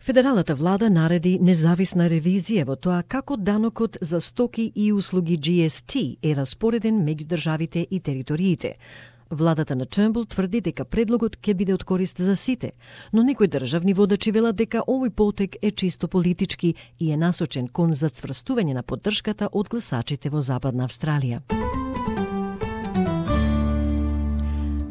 Федералната влада нареди независна ревизија во тоа како данокот за стоки и услуги GST е распореден меѓу државите и териториите. Владата на Turnbull тврди дека предлогот ќе биде од корист за сите, но некои државни водачи велат дека овој потек е чисто политички и е насочен кон зацврстување на поддршката од гласачите во Западна Австралија.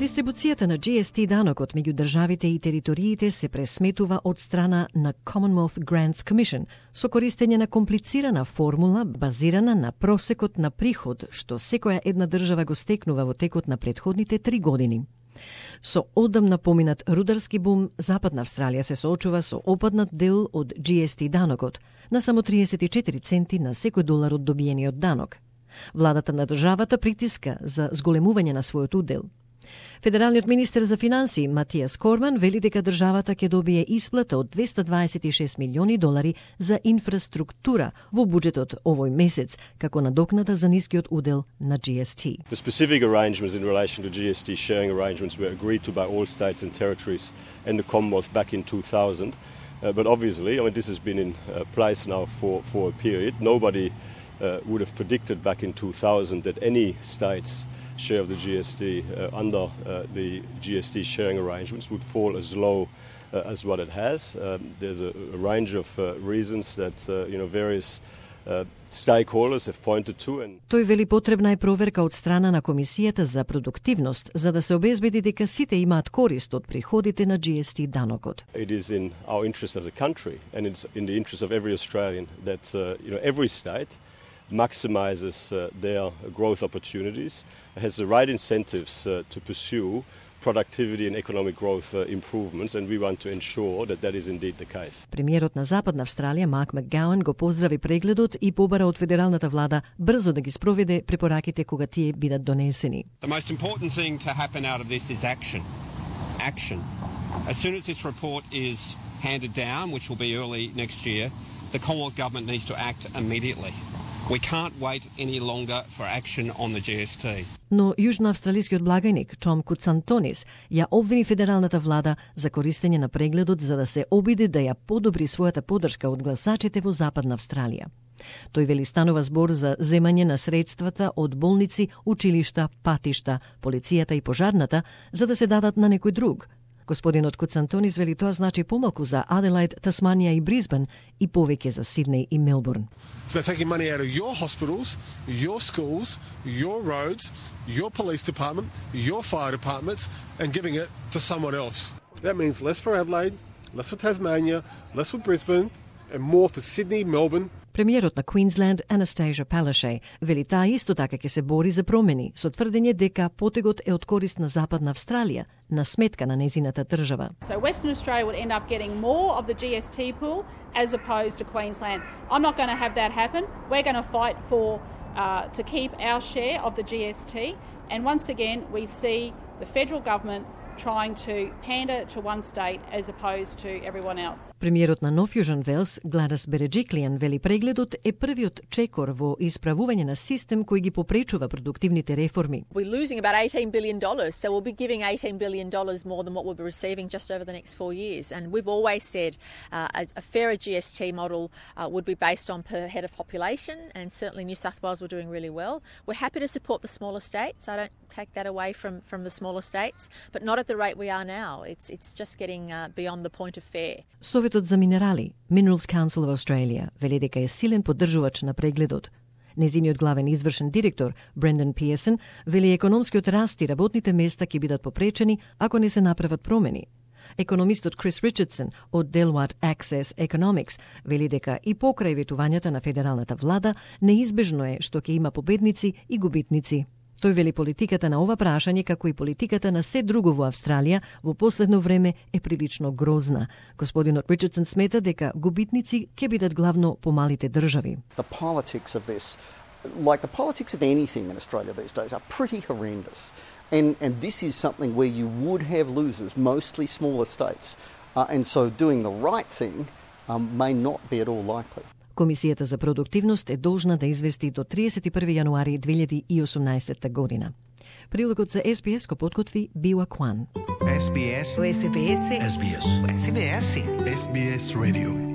Дистрибуцијата на GST данокот меѓу државите и териториите се пресметува од страна на Commonwealth Grants Commission со користење на комплицирана формула базирана на просекот на приход што секоја една држава го стекнува во текот на претходните 3 години. Со одамна поминат рударски бум, Западна Австралија се соочува со опаднат дел од GST данокот на само 34 центи на секој долар од добиениот данок. Владата на државата притиска за зголемување на својот удел. Федералниот министер за финансии Матиас Корман вели дека државата ќе добие исплата од $226 милиони за инфраструктура во буџетот овој месец, како надокнада за нискиот удел на GST. The specific arrangements in relation to GST sharing arrangements were agreed to by all states and territories and the Commonwealth back in 2000. But obviously, this has been in place now for a period. Nobody would have predicted back in 2000 that any states share of the GST under the GST sharing arrangements would fall as low as what it has. There's a range of reasons that various stakeholders have pointed to. Тој вели потребна е проверка од страна на Комисијата за продуктивност за да се обезбеди дека сите имаат корист од приходите на GST данокот. It is in our interest as a country and it's in the interest of every Australian that every state maximizes their growth opportunities, has the right incentives to pursue productivity and economic growth improvements, and we want to ensure that that is indeed the case. Премиерот на Западна Австралија Марк Макгауан го поздрави прегледот и побара од федералната влада брзо да ги спроведе препораките кога тие бидат донесени. The most important thing to happen out of this is action. Action. As soon as this report is handed down, which will be early next year, the Commonwealth Government needs to act immediately. We can't wait any longer for action on the GST. Но јужноавстралискиот благајник Том Куцантонис ја обвини федералната влада за користење на прегледот за да се обиде да ја подобри својата поддршка од гласачите во Западна Австралија. Тој вели станува збор за земање на средствата од болници, училишта, патишта, полицијата и пожарната за да се дадат на некој друг. Господинот Куцантонис вели тоа значи помалку за Аделаид, Тасманија и Брисбен и повеќе за Сиднеј и Мелбурн. It's about taking money out of your hospitals, your schools, your roads, your police department, your fire departments and giving it to someone else. That means less for Adelaide, less for Tasmania, less for Brisbane and more for Sydney, Melbourne. Премиерот на Queensland, Anastasia Palaszczuk, вели таа исто така ќе се бори за промени, со тврдење дека потегот е од корист на Западна Австралија, на сметка на незината држава. So Western Australia would end up getting more of the GST pool as opposed to Queensland. I'm not going to have that happen. We're going to fight for to keep our share of the GST. And once again, we see the federal government trying to pander to one state as opposed to everyone else. Премиерот на Нов Јужен Велс, Гладис Береджиклијан, вели прегледот е првиот чекор во исправување на систем кој ги попречува продуктивните реформи. We're losing about $18 billion, so we'll be giving $18 billion more than what we'll be receiving just over the next 4 years. And we've always said a fairer GST model would be based on per head of population, and certainly New South Wales were doing really well. We're happy to support the smaller states. I don't take that away from the smaller states, but not at the rate we are now. It's just getting beyond the point of fair. Советот за минерали, Minerals Council of Australia, вели дека е силен поддржувач на прегледот. Незиниот главен извршен директор, Брендан Пиесен, вели економскиот раст и работните места ќе бидат попречени ако не се направат промени. Економистот Крис Ричардсон од Deloitte Access Economics вели дека и покрај ветувањата на федералната влада неизбежно е што ќе има победници и губитници. Тој вели политиката на ова прашање, како и политиката на се друго во Австралија, во последно време е прилично грозна. Господинот Ричардсон смета дека губитници ќе бидат главно помалите држави. The politics of this, like the politics of anything in Australia these days, are pretty horrendous. And this is something where you would have losers, mostly smaller states. And so doing the right thing may not be at all likely. Комисијата за продуктивност е должна да извести до 31 јануари 2018 година. Прилогот за SBS го подготви Биуа Кван. SBS. SBS. SBS. SBS. SBS Radio.